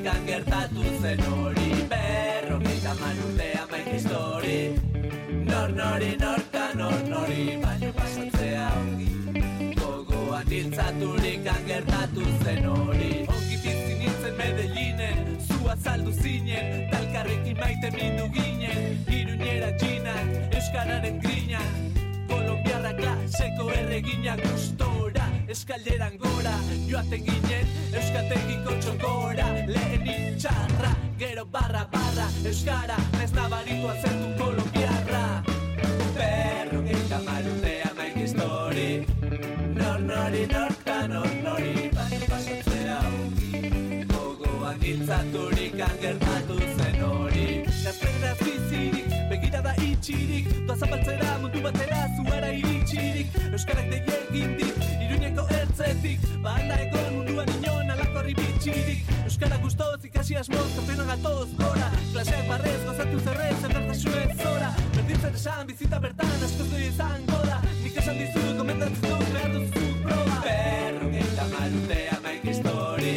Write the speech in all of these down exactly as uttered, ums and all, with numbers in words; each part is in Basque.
Amerikan gertatu zen hori. Berrogeita hamar urte hamaika histori, nor nori norka nor nori, baino pasatzea ongi. Gogoan hiltzaturikan gertatu zen hori. Ongi bizi nintzen Medellinen, zu azaldu zinen, talkarrekin maite mindu ginen. Iruñera txinan, euskararen grinan, kolombiarra klaseko erreginak gustora, eskalderan gora, joaten ginen, euskategiko txokora. Lehen itxarra, gero barra barra, euskara, nez nabaritua zentu kolombiarra. Berrogeita hamar urte hamaika histori, nor nori norka nor nori, baina pasatzea ongi. Gogoan hiltzaturikan gertatu zen hori. Gazteraz bizirik, begirada itxirik, doa zapaltzera mundu batera zuara iritsirik. Euskarak deia egindik, Iruñeko ertzetik, banda egon munduan inon alako ribitxirik. Euskara gustoz ikasi asmoz, kampeonan gatoz gora, klaseak barrez, gozatu zerrez, edertasunez zora. Berdin zer esan, bizita bertan, askoz doi izango da. Nik esan dizut, gomendatzen dut, behar duzu proba. Berrogeita hamar urte hamaika histori,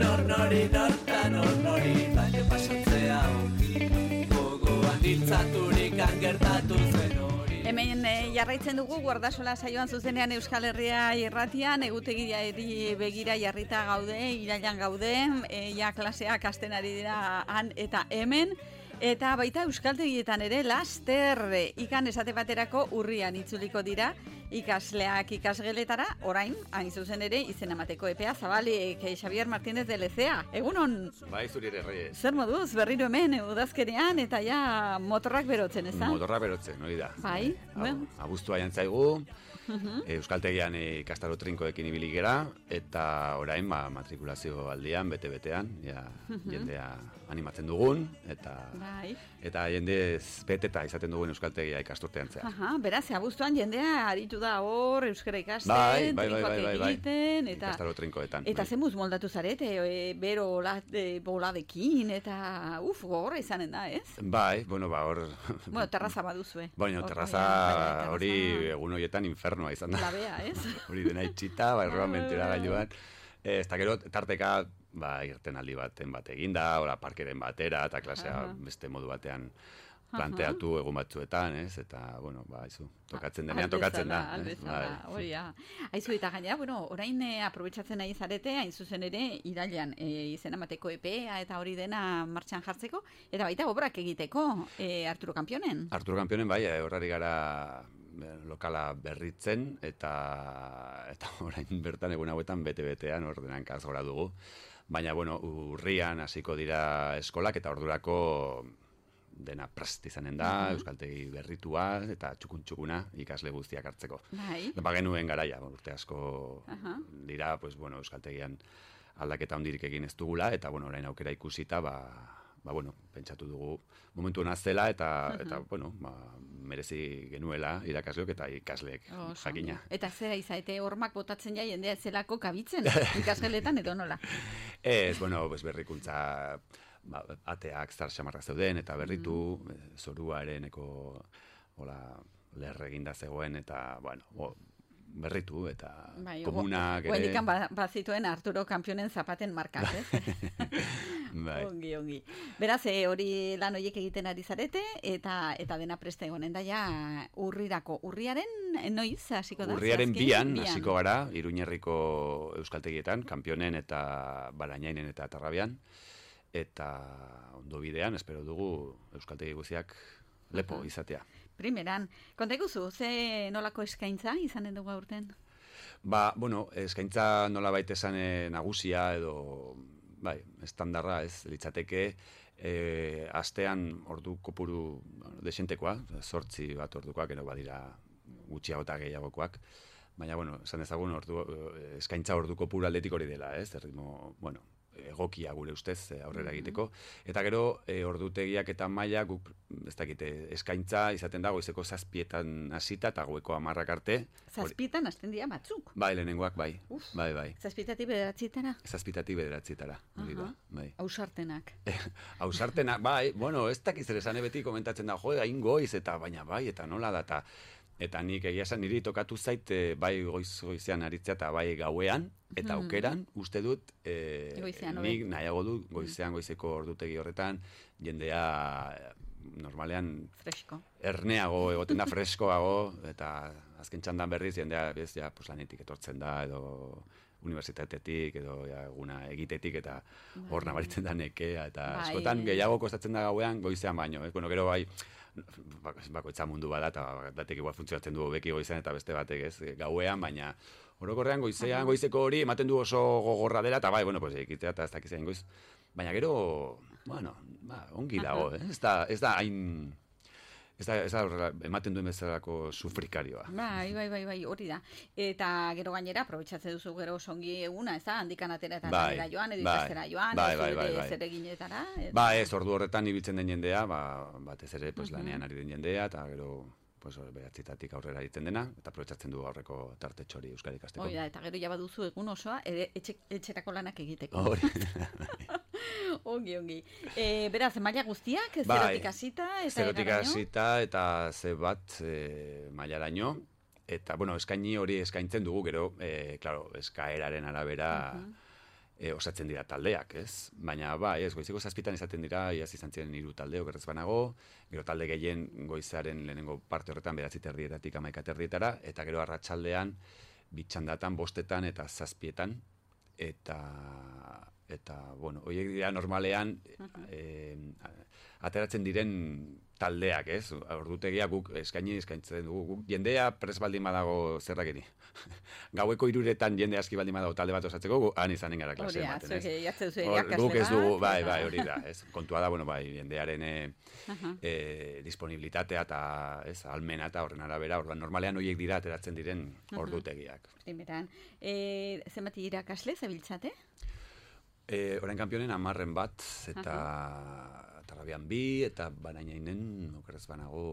nor nori norka nor nori, baina pasatzea ongi. Gogoan hiltzaturikan gertatu zen hori. Hemen e, jarraitzen dugu Guardasola saioan zuzenean Euskal Herria irratian, egutegia eri begira jarrita gaude, irailan gaude, e, ja klaseak hasten ari dira han eta hemen. Eta baita euskaltegietan ere laster ikan esate baterako urrian itzuliko dira ikasleak ikasgeletara, orain, hain zuzen ere, izen emateko epea zabalik, Xavier Martínez de Lezea. Egunon? Bai, zuri ere, Reyes. Zer moduz, berriro hemen, udazkenean, eta ja motorrak berotzen, ez da? Motorrak berotzen, hori da. Bai, bueno. Abuztua jantzaigu, uh-huh. Euskaltegian ikastaro trinkoekin ibili gera, eta orain, ba, matrikulazio aldian, bete-betean, ja, uh-huh. jendea animatzen dugun, eta bai. eta jendez beteta izaten dugun euskaltegia ikasturtean zehar. Aha, beraz, abuztuan jendea aritu da hor, euskara ikasten, bai, bai, bai, trinkoak bai, bai, egiten, bai. eta... Ikastaro trinkoetan. Eta bai. zemuz moldatu zarete, e, bero ola, e, boladekin, eta uf, gogorra izanen da, ez? Bai, bueno, ba, hor... Bueno, terraza baduzue. Bueno, terraza hori egun horietan infernoa izan da. Labea, ez? Hori dena itxita, ba, erroan mentira gailuan. Ez, eta gero, tarteka, ba, irten aldi baten bat eginda, ora parkeren batera, eta klasea uh-huh. beste modu batean planteatu uh-huh. egun batzuetan, ez? Eta, bueno, ba, izu, tokatzen denean, tokatzen da. Aldezala, hori, ja. Aizu, eta gainera, bueno, orain eh, aprobetxatzen nahi zarete, hain zuzen ere, irailean eh, izena mateko epea eta hori dena martxan jartzeko, eta baita obrak egiteko, eh, Arturo Kampionen. Arturo Kampionen, bai, horrari gara lokala berritzen, eta eta orain bertan egun hauetan bete-betean ordenan kazgora dugu. Baina, bueno, urrian hasiko dira eskolak, eta ordurako dena prest izanen da, uh-huh. euskaltegi berritua, eta txukun-txukuna ikasle guztiak hartzeko. Bai. Ba genuen garaia, urte asko uh-huh. dira, pues, bueno, euskaltegian aldaketa hondirik egin ez dugula, eta, bueno, orain aukera ikusita, ba, ba, bueno, pentsatu dugu momentu hona zela, eta, uh-huh. eta bueno, ba, merezi genuela irakasleok eta ikasleek oh, jakina. Eta zera izaite hormak botatzen ja jendea zelako kabitzen ikasgeletan edo nola? Ez, bueno, pues berrikuntza, ba, ateak zar xamarrak zeuden, eta berritu, mm. zoruareneko hola, lerre eginda zegoen, eta, bueno, o, berritu, eta bai, komunak ere... Guendikan bazituen Arturo Kampionen zapaten markak, ez? Bai. Ongi, ongi. Beraz, e, hori lan horiek egiten ari zarete, eta eta dena preste egonen da ja urrirako. Urriaren noiz hasiko da? Urriaren bian hasiko gara, Iruñerriko euskaltegietan, Kampionen eta Barainainen eta Tarrabian, eta ondo bidean, espero dugu euskaltegi guziak lepo uh-huh. izatea. Primeran, konta iguzu, ze nolako eskaintza izanen dugu aurten? Ba, bueno, eskaintza nola baita esan nagusia edo, bai, estandarra ez litzateke, e, astean ordu kopuru desentekoa, zortzi bat ordukoak, ero badira gutxiago eta gehiagokoak, baina, bueno, esan ezagun ordu, eskaintza ordu kopuru aldetik hori dela, ez, erritmo, bueno, egokia gure ustez aurrera egiteko. Eta gero, e, ordutegiak eta maila guk, ez dakite, eskaintza izaten da goizeko zazpietan hasita eta goeko hamarrak arte. Zazpietan hasten dira batzuk? Bai, lehenengoak bai. Uf, bai, bai. Zazpietatik bederatzietara? Zazpietatik bederatzietara. Uh-huh. Bai. Ausartenak. Ausartenak, bai, bueno, ez dakiz ere esan beti komentatzen da, jo, hain goiz, eta baina bai, eta nola da, eta Eta nik egia esan niri tokatu zait e, bai goiz goizean aritzea eta bai gauean eta Mhm. aukeran uste dut e, Goizean, nik nahiago dut goizean goizeko ordutegi horretan jendea e, normalean Fresko. erneago egoten da, freskoago, eta azken txandan berriz jendea bez, ja, pues, lanetik etortzen da, edo unibertsitatetik, edo ja, eguna egitetik, eta hor nabaritzen da nekea, eta Bai. askotan gehiago kostatzen da gauean goizean baino. Ez, bueno, gero bai, bakoitza mundu bada, eta batek igual funtzionatzen du beki goizean, eta beste batek ez, gauean, baina orokorrean goizean, goizeko hori ematen du oso gogorra dela, eta bai, bueno, pues, ekitea eta ez dakizean goiz. Baina gero, bueno, ba, ongi dago, eh? Ez da, ez da hain... Ez da, ez da horrela, ematen duen bezalako sufrikarioa. Bai, bai, bai, bai, hori da. Eta gero gainera, aprobetxatzen duzu gero songi eguna, ez da, handikan atera eta Bai, lanera joan, edo bai, ikastera joan, bai, edo bai, zure bai, bai. zereginetara. eta- Ba, ez, ordu horretan ibiltzen den jendea, ba, batez ere, pues, lanean ari den jendea, eta gero, pues, behatzitatik aurrera egiten dena, eta aprobetxatzen du aurreko tartetxori Euskara ikasteko. Hori da, eta gero ja baduzu egun osoa, ere etxe, etxerako lanak egiteko. Hori. Ongi, ongi. E, beraz, maila guztiak, Bai, zerotik hasita, eta Zerotik eraraino? hasita eta ze bat e, mailaraino, eta, bueno, eskaini hori eskaintzen dugu, gero, e, claro, eskaeraren arabera e, osatzen dira taldeak, ez? Baina, bai, ez, goizeko zazpitan izaten dira, iaz izan ziren hiru talde okerrez banago, gero talde gehien goizaren lehenengo parte horretan bederatzi terdietatik hamaika terdietara, eta gero arratsaldean bitxandatan, bostetan eta zazpietan, eta eta, bueno, horiek dira normalean eh, ateratzen diren taldeak, ez? Ordutegia guk eskaini eskaintzen dugu. Guk jendea pres baldin badago zerrakeri. Gaueko hiruretan jende aski baldin badago talde bat osatzeko, gu han izanen gara klase Hori da, ematen, zuek ez? jartzen duzu Hor, irakasle guk ez dugu, bat, bai, eta- bai, hori da, ez? Kontua da, bueno, bai, jendearen eh, eh, disponibilitatea eta, ez, almena eta horren arabera, orduan normalean horiek dira ateratzen diren ordutegiak. Primeran. E, zenbat irakasle zabiltzate? E, orain kanpionen amarren bat, eta tarrabian bi, eta banainainen, okerrez banago,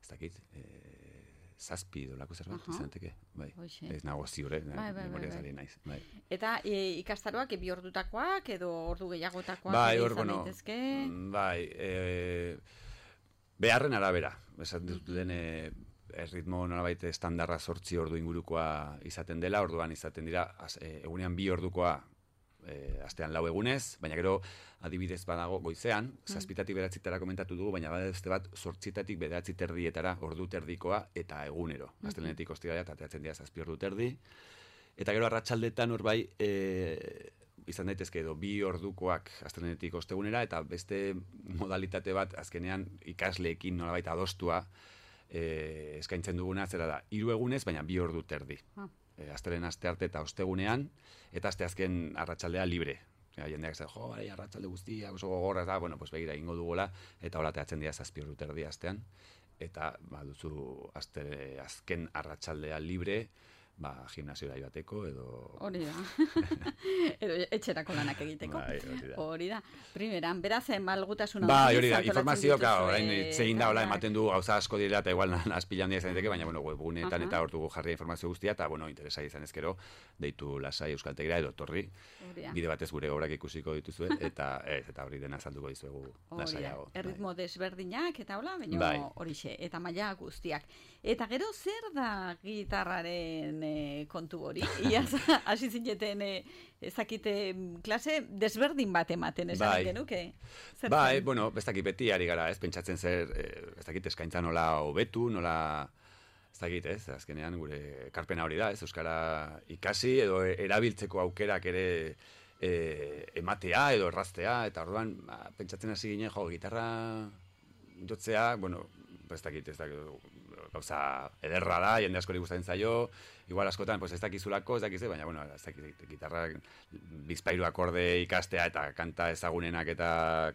ez dakit, e, zazpi dolako zerbait, Aha. izan daiteke, bai. Hoxe. Ez nago ziur, eh, Bai, bai, bai, memoriaz bai. ari naiz, bai. Eta e, ikastaroak bi ordutakoak edo ordu gehiagotakoak Bai, ere hor, izan bueno, daitezke? mm, bai, e, beharren arabera, esan dut lehen, e, erritmo nolabait estandarra zortzi ordu ingurukoa izaten dela, orduan izaten dira, az, e, egunean bi ordukoa e, astean lau egunez, baina gero adibidez badago goizean, zazpitatik bederatzietara komentatu dugu, baina beste bat zortzitatik bederatzi terdietara ordu terdikoa eta egunero. Astelehenetik ostiralera eta ateratzen dira zazpi ordu terdi. Eta gero arratsaldetan hor bai, e, izan daitezke edo bi ordukoak astelehenetik ostegunera, eta beste modalitate bat azkenean ikasleekin nolabait adostua e, eskaintzen duguna, zera da, hiru egunez, baina bi ordu terdi. Ah. E, astelen aste arte eta ostegunean, eta aste azken arratsaldea libre. Ja, jendeak zen, jo, bai, arratsalde guztia, oso gogorra, eta, bueno, pues begira, ingo dugola, eta hola teatzen dira zazpi ordu terdi astean, eta, ba, duzu aste, azken arratsaldea libre, ba, gimnasiora joateko, edo... Hori da. Edo etxerako lanak egiteko. Bai, hori da. Hori da. Primeran, beraz, malgutasuna Bai, handiz hori da, antolatzen informazio, dituzue, claro, orain zein da, hola, bai. ematen du gauza asko direla, eta igual azpilan dira izan daiteke, baina, bueno, webguneetan Aha. eta hor dugu jarria informazio guztia, eta, bueno, interesa izan ezkero, deitu lasai euskaltegira edo torri, Hori da. bide batez gure obrak ikusiko dituzue, eta ez, eta hori dena azalduko dizuegu Hori da, lasaiago. bai. erritmo desberdinak eta hola, baina Bai. horixe, eta maila guztiak. Eta gero zer da gitarraren eh, kontu hori? Iaz, hasi zineten eh, ezakite klase desberdin bat ematen, esan Bai. genuke? Zer Bai, zen? bueno, ez dakit beti ari gara, ez pentsatzen zer, eh, ez dakit eskaintza nola hobetu, nola, ez dakit, ez, azkenean gure ekarpena hori da, ez, euskara ikasi edo erabiltzeko aukerak ere eh, ematea edo erraztea, eta orduan, ba, pentsatzen hasi ginen, jo, gitarra jotzea, bueno, ez dakit, ez dakit, gauza ederra da, jende askori gustatzen zaio, igual askotan, pues ez dakizulako, ez dakize, baina, bueno, ez dakit, gitarra bizpairu akorde ikastea eta kanta ezagunenak eta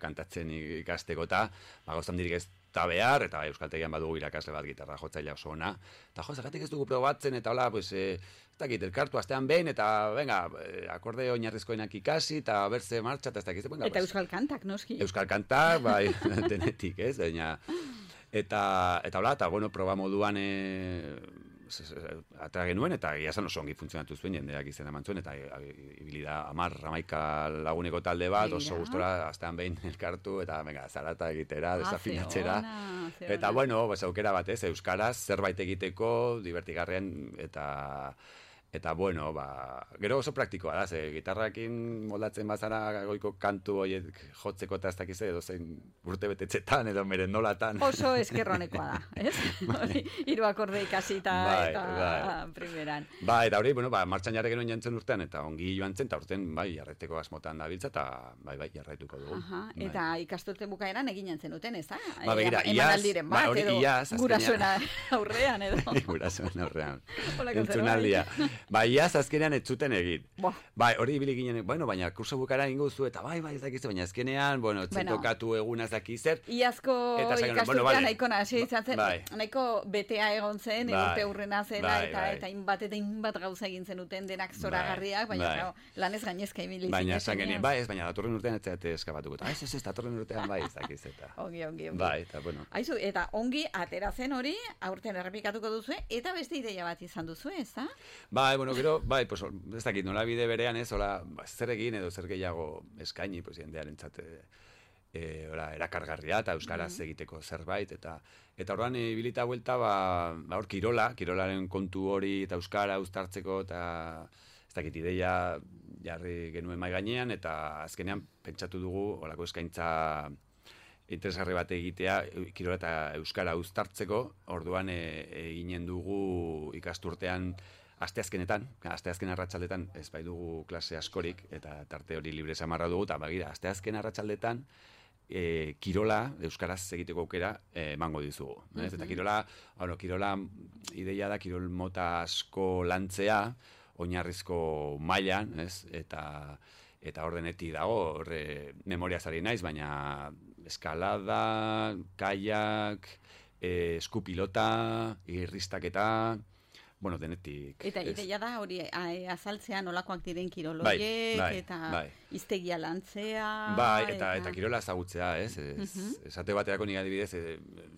kantatzen ikasteko eta, ba, gauzan dirik ez da behar, eta euskaltegian badugu irakasle bat gitarra jotzailea oso ona, eta jo, zergatik ez dugu probatzen, eta hola, pues, eh, ez dakit, elkartu astean behin, eta, venga, eh, akorde oinarrizkoenak ikasi, eta berze martxa, eta ez dakit, venga, Eta pues, euskal kantak, noski? euskal kantak, bai, denetik, ez, baina, eta, eta hola, eta, bueno, proba moduan, e, atera genuen, eta egia esan oso ongi funtzionatu zuen, jendeak izena eman zuen, eta ibili da hamar, hamaika laguneko talde bat, oso gustora, astean behin elkartu, eta venga, zarata egitera, desafinatzera. Eta bueno, pues, aukera bat ez, euskaraz, zerbait egiteko, divertigarren, eta... Eta, bueno, ba, gero oso praktikoa da, ze gitarrakin moldatzen bazara goiko kantu horiek jotzeko eta ez dakiz edo zein urte betetzetan edo merendolatan. Oso eskerronekoa da, ez? Hiru akorde ikasi eta, bai, eta bai. Primeran. Ba, eta hori, bueno, ba, martxan jarri genuen jantzen urtean, eta ongi joan zen, eta urtean, bai, jarreteko asmotan da biltza, eta bai, bai, jarraituko dugu. Aha, bai. Eta ikasturte bukaeran egin jantzen duten, ez da? Ba, begira, iaz, ba, hori iaz, gurasoen aurrean, edo. Gurasoen aurrean, entzunaldia. Ba, iaz azkenean ez zuten egin. Bai, hori ibili ginen, bueno, baina kurso bukara ingo zu, eta bai, bai, ez dakizu, baina azkenean, bueno, txentokatu eguna ez dakizer. Iazko ikasturtean nahiko nahi izan zen, nahiko betea egon zen, urte hurrena zela, eta inbat eta inbat gauza egin zen uten denak zoragarriak, baina lanez gainezka ibili. Baina esan genien, bai, ez, baina datorren urtean ez zate eskabatuko. Ez, ez, ez, datorren urtean bai, ez dakiz, eta. Ongi, ongi, ongi. Bai, eta bueno. Aizu, eta ongi atera zen hori, aurten errepikatuko duzu, eta beste ideia bat izan duzu, ez da? Bai, bueno, gero, bai, pues, ez dakit, nola bide berean ez, hola, ba, zer egin edo zer gehiago eskaini, pues, jendearen txate, e, hola, erakargarria eta euskaraz mm-hmm. egiteko zerbait, eta eta orduan ibilita buelta, ba, ba, hor, kirola, kirolaren kontu hori eta euskara uztartzeko, eta ez dakit, ideia jarri genuen mai gainean, eta azkenean pentsatu dugu, holako eskaintza interesgarri bat egitea, kirola eta euskara uztartzeko, orduan eginen dugu ikasturtean asteazkenetan, asteazken arratsaldetan ez bai dugu klase askorik, eta tarte hori libre samarra dugu, eta bagira, asteazken arratsaldetan e, kirola, euskaraz egiteko aukera emango e, dizugu. Mm-hmm. Ez? Eta kirola, bueno, kirola ideia da, kirol mota asko lantzea, oinarrizko mailan, ez? Eta, eta ordeneti dago, horre memoriaz ari naiz, baina eskalada, kaiak, e, eskupilota, irristaketa, bueno, denetik. Eta ideia da hori azaltzea nolakoak diren kiroloiek, bai, bai, eta bai. Iztegia lantzea. Bai, eta, eta... eta kirola ezagutzea, ez? ez uh-huh. Esate baterako nik adibidez,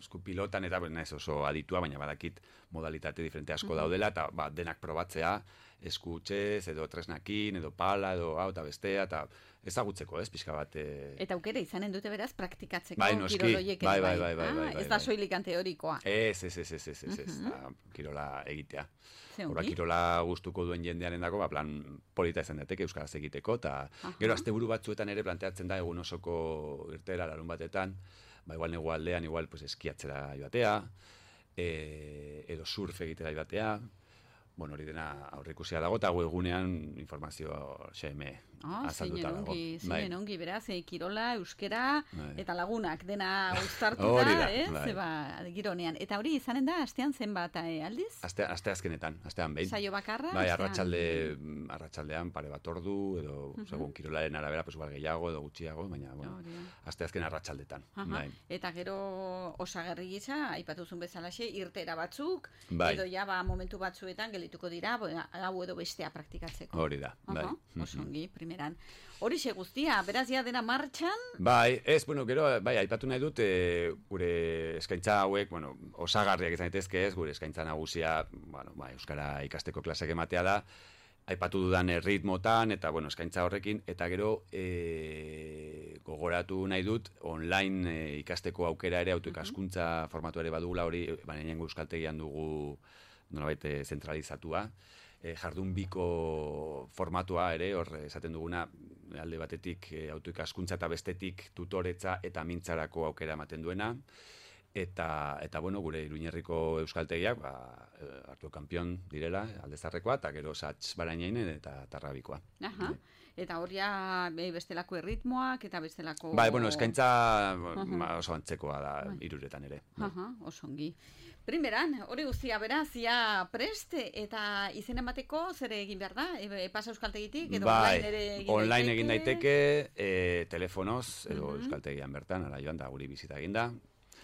eskupilotan eta naiz oso aditua, baina badakit modalitate diferente asko uh-huh. daudela, eta ba, denak probatzea, eskutxez, edo tresnakin, edo pala, edo hau eta bestea, eta ezagutzeko, ez, pixka bat. E... Eta aukera izanen dute beraz praktikatzeko bai, noski, kiroloiek. Bai, bai, bai, bai, ah, bai, bai, ez da soilikan teorikoa. Ez, ez, ez, ez, ez, ez, ez, uh-huh. kirola egitea. Hora, kirola gustuko duen jendearen dago, ba, plan polita izan dateke euskaraz egiteko, eta uh-huh. gero asteburu batzuetan ere planteatzen da egun osoko irtera larun batetan, ba, igual negu aldean, igual pues, eskiatzera joatea, e, edo surf egitera joatea, bueno, hori dena aurreikusia dago, eta egunean informazio X M oh, azalduta dago. Zinen ongi, beraz, e, kirola, euskera, bai. Eta lagunak dena uztartuta, da, eh? Bai. Zeba, gironean. Eta hori izanen da, astean zenbat eh, aldiz? Aste, aste azkenetan, astean behin. Saio bakarra? Bai, arratsalde, arratsaldean pare bat ordu, edo, uh-huh. segun, kirolaren arabera, pues, igual gehiago, edo gutxiago, baina, bueno, oh, aste azken arratsaldetan. Uh-huh. Bai. Eta gero osagarri gisa, aipatuzun bezalaxe, irtera batzuk, bai. Edo ja, ba, momentu batzuetan gelituko dira, hau edo bestea praktikatzeko. Hori da, bai. Uh-huh. Osongi, primeran. Horixe guztia, beraz ja dena martxan? Bai, ez, bueno, gero, bai, aipatu nahi dut, e, gure eskaintza hauek, bueno, osagarriak izan daitezke ez, gure eskaintza nagusia, bueno, bai, euskara ikasteko klaseak ematea da, aipatu dudan ritmotan, eta, bueno, eskaintza horrekin, eta gero, e, gogoratu nahi dut, online e, ikasteko aukera ere, autoikaskuntza formatu ere badugula hori, baina nengo euskaltegian dugu, nolabait, zentralizatua, E, jardun biko formatua ere, hor esaten duguna, alde batetik e, autoikaskuntza eta bestetik tutoretza eta mintzarako aukera ematen duena, eta, eta bueno, gure Iruñerriko euskaltegiak, ba, hartu kanpion direla, aldezarrekoa, eta gero Sats Barainainen eta Tarrabikoa. Aha. Eta horia bestelako erritmoak eta bestelako... Bai, bueno, eskaintza uh-huh. oso antzekoa da uh-huh. iruretan ere. Uh-huh. Oso ongi. Primeran, hori guztia beraz, ja prest eta izen emateko zer egin behar da? E, pasa euskaltegitik edo bai, online ere egin online daiteke? egin daiteke, e, telefonoz edo uh-huh. euskaltegian bertan, ara joan da guri bizita egin da.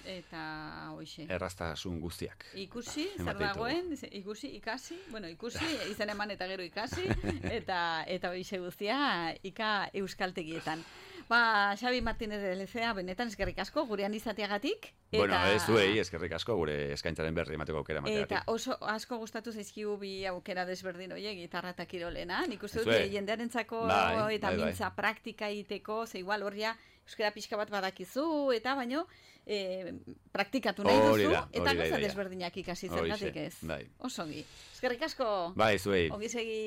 Eta hoixe. Erraztasun guztiak. Ikusi, zer dagoen, ikusi, ikasi, bueno, ikusi, izen eman eta gero ikasi, eta eta hoixe guztia ika euskaltegietan. Ba, Xabi Martínez de Lezea, benetan eskerrik asko, gurean izateagatik. Eta... Bueno, ez duei, eskerrik asko, gure eskaintzaren berri emateko aukera emateagatik. Eta oso asko gustatu zaizkigu bi aukera desberdin horiek, gitarra eta kirolena. Nik uste dut, jendearentzako bai, eta bai, bai. mintza praktika egiteko, ze igual horria euskara pixka bat badakizu, eta baino, e, praktikatu nahi duzu, da, eta da, goza da, desberdinak ikasi zergatik ez. Bai. Oso ongi. Eskerrik asko. Bai, zuei. Ongi segi.